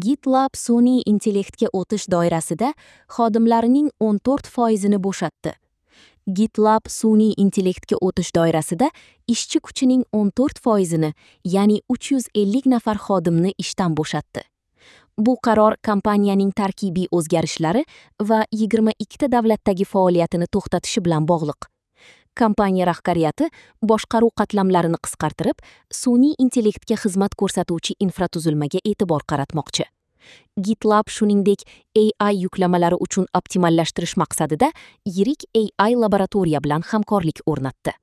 GitLab sun'iy intellektga o'tish doirasida xodimlarining 14% ni bo'shatdi. GitLab sun'iy intellektga o'tish doirasida ishchi kuchining 14% ni, ya'ni 350 nafar xodimni ishdan bo'shatdi. Bu qaror kompaniyaning tarkibiy o'zgarishlari va 22 ta davlatdagi faoliyatini to'xtatishi bilan bog'liq. Kompaniya rahbariyati boshqaruv qatlamlarini qisqartirib, sun'iy intellektga xizmat ko'rsatuvchi infratuzilmaga e'tibor qaratmoqchi. GitLab shuningdek AI yuklamalari uchun optimallashtirish maqsadida yirik AI laboratoriya bilan hamkorlik o'rnatdi.